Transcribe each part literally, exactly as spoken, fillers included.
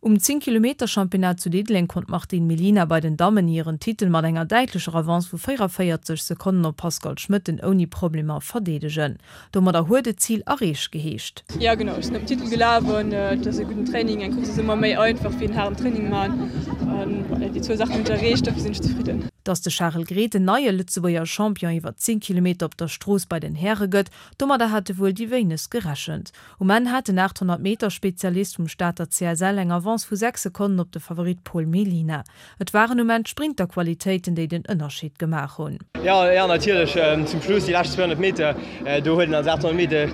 Um zéng Kilometer Championnat zu Diddeleng konnt d'Martine Mellina bei den Dammen hiren Titel mat enger däitlecher Avance vu véierunvéierzeg Sekonnen op Pascale Schmitten ouni Problemer verdeedegen. Domadder huet et Zil erreecht geheescht. Jo genau, ech sinn op den Titel gelaf an et ass e gudden Training. Eng Course ass ëmmer méi einfach wéi en haarden Training man an voilà, déi zwou Saachen hunn ech erreecht, dofir sinn ech zefridden. Dass de Charel Grethen neie Lëtzebuerger Champion iwwer zéng Kilometer op der Strooss bei den Häre gëtt, domadder hate wuel déi wéinegst gerechent. Um Enn hat den aathonnert Meter Spezialist vum Stater C S L eng Avance vu sechs Sekonnen op de Favorit Paul Mellina. Et waren um Enn d'Sprinterqualitéiten, déi den Ënnerscheed gemaach hunn. Jo, jo, natierlech zum Schluss déi lescht zweehonnert Meter, do huet en als aathonnert Meter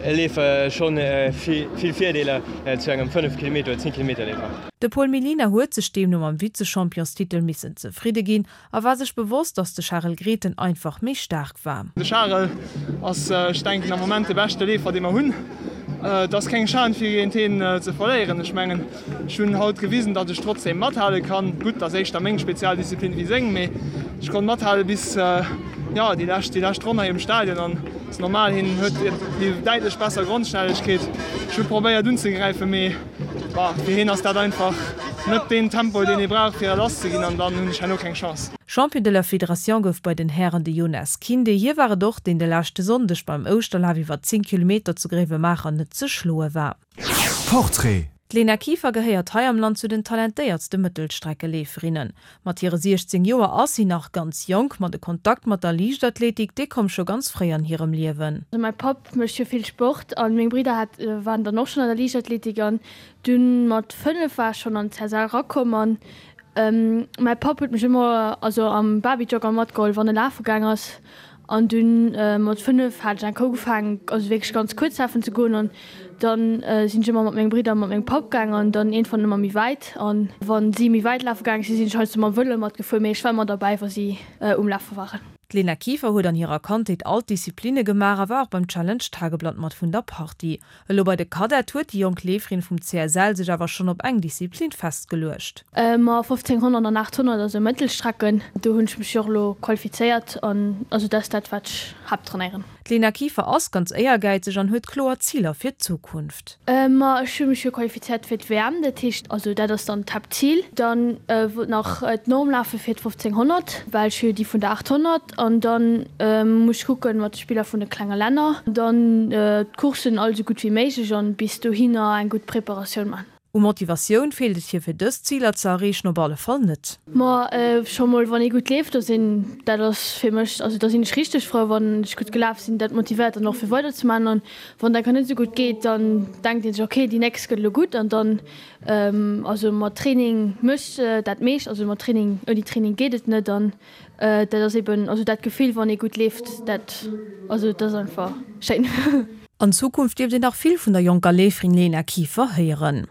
Leefer schonn vill Virdeeler zu engem fënnef Kilometer oder zéng Kilometer Leefer. De Paul Mellina huet sech deemno mam Vizechampionstitel missen zefridde ginn a war sech bewosst, datt de Charel Grethen einfach méi staark war. De Charel ass, ech denken, am Moment de beschte Leefer, dee mer hunn. Et ass keng Schan fir géint heen ze verléieren. Ech mengen, ech hunn haut gewisen, datt ech trotzdeem mathale kann. Gutt, et ass éischter meng Spezialdisziplin wéi seng, mee ech konnt mathale bis, jo, déi lescht, déi lescht Ronn hei um Stadion. An et ass normal, hien huet déi däitlech besser Grondschnellegkeet. Ech hu probéiert unzegräifen, mee bah, fir hien ass dat einfach net deen Tempo, deen ee brauch, fir lass ze ginn, an dann hunn ech herno keng Chance. Champion de la Fédération gouf bei den Hären de Jonas Kinde. Hie war et och, deen de leschte Sonndeg beim Ouschterlaf iwwer zéng Kilometer zu Gréiwemaacher net ze schloe war. Portrait. D'Lena Kieffer gehéiert hei am Land zu den talentéiertste Mëttelstreckeleeferinnen. Mat hire siechzéng Joer ass si nach ganz jonk, ma de Kontakt mat der Liichtathletik, dee koum scho ganz fréi an hirem Liewen. Mäi Papp mécht jo vill Sport an meng Bridder hat waren dann och schonn an der Liichtathletik an dunn mat fënnef war ech schonn an d'C S L rakomm an mäi Papp huet mech ëmmer also am Babyjogger matgeholl wann e lafe gaang ass an dunn mat fënnef hat ech eng Kéier ugefaangen also wierklech ganz kuerz lafen ze goen an dann sinn ech ëmmer mat menge Bridder a mat mengem Papp gaang an dann iergendwann ëmmer méi wäit an wann si méi wäit lafe gaang sinn, sinn ech heiansdo mam Vëlo matgefuer, mee ech war ëmmer derbäi wa si um Lafe waren. D'Lena Kieffer huet an hirer Kandheet all d'Disziplinne gemaach a war och beim Challenge Tageblatt mat vun der Partie. Elo bei de Cadette huet déi jonk Leeferin vum C S L sech awer schonn op eng Disziplin festgeluecht. Ma fofzénghonnert an aathonnert, also Mëttelstrecken, do hunn ech mech jo och elo qualifizéiert an also dat ass dat wat ech haapttrainéieren. D'Lena Kieffer ass ganz éiergäizeg an huet kloer Ziler fir d'Zukunft. Ma ech hu mech jo qualifizéiert fir d'W M, dat heescht also dat ass dann d'Haaptzil. Dann wollt nach d'Norm lafe fir d'fofzénghonnert, well ech hu jo déi vun der aathonnert an dann muss ech kucken mat de Spiller vun de klenge Länner. Dann d'Courssen all esou gutt wéi méiglech an bis dohinner eng gutt Preparatioun man. U Motivatioun feelt et hir fir dës Ziler ze erreechen op alle Fall net. Ma scho mol wann ee gutt leeft, da sinn, dat ass fir mech, also da sinn ech richteg frou wann ech gutt gelaf sinn, dat motivéiert dann och fir weider ze man. An wann dat net esou gutt geet, dann denkt ee sech okay déi nächst gëtt elo gutt an dann also mat Training mécht dat meescht, also mat Training, ouni Training geet et net an dat ass eben also dat Gefill wann ee gutt leeft, dat also dat ass einfach schéin. An Zukunft dierft een nach vill vun der jonker Leeferin Lena Kieffer héieren.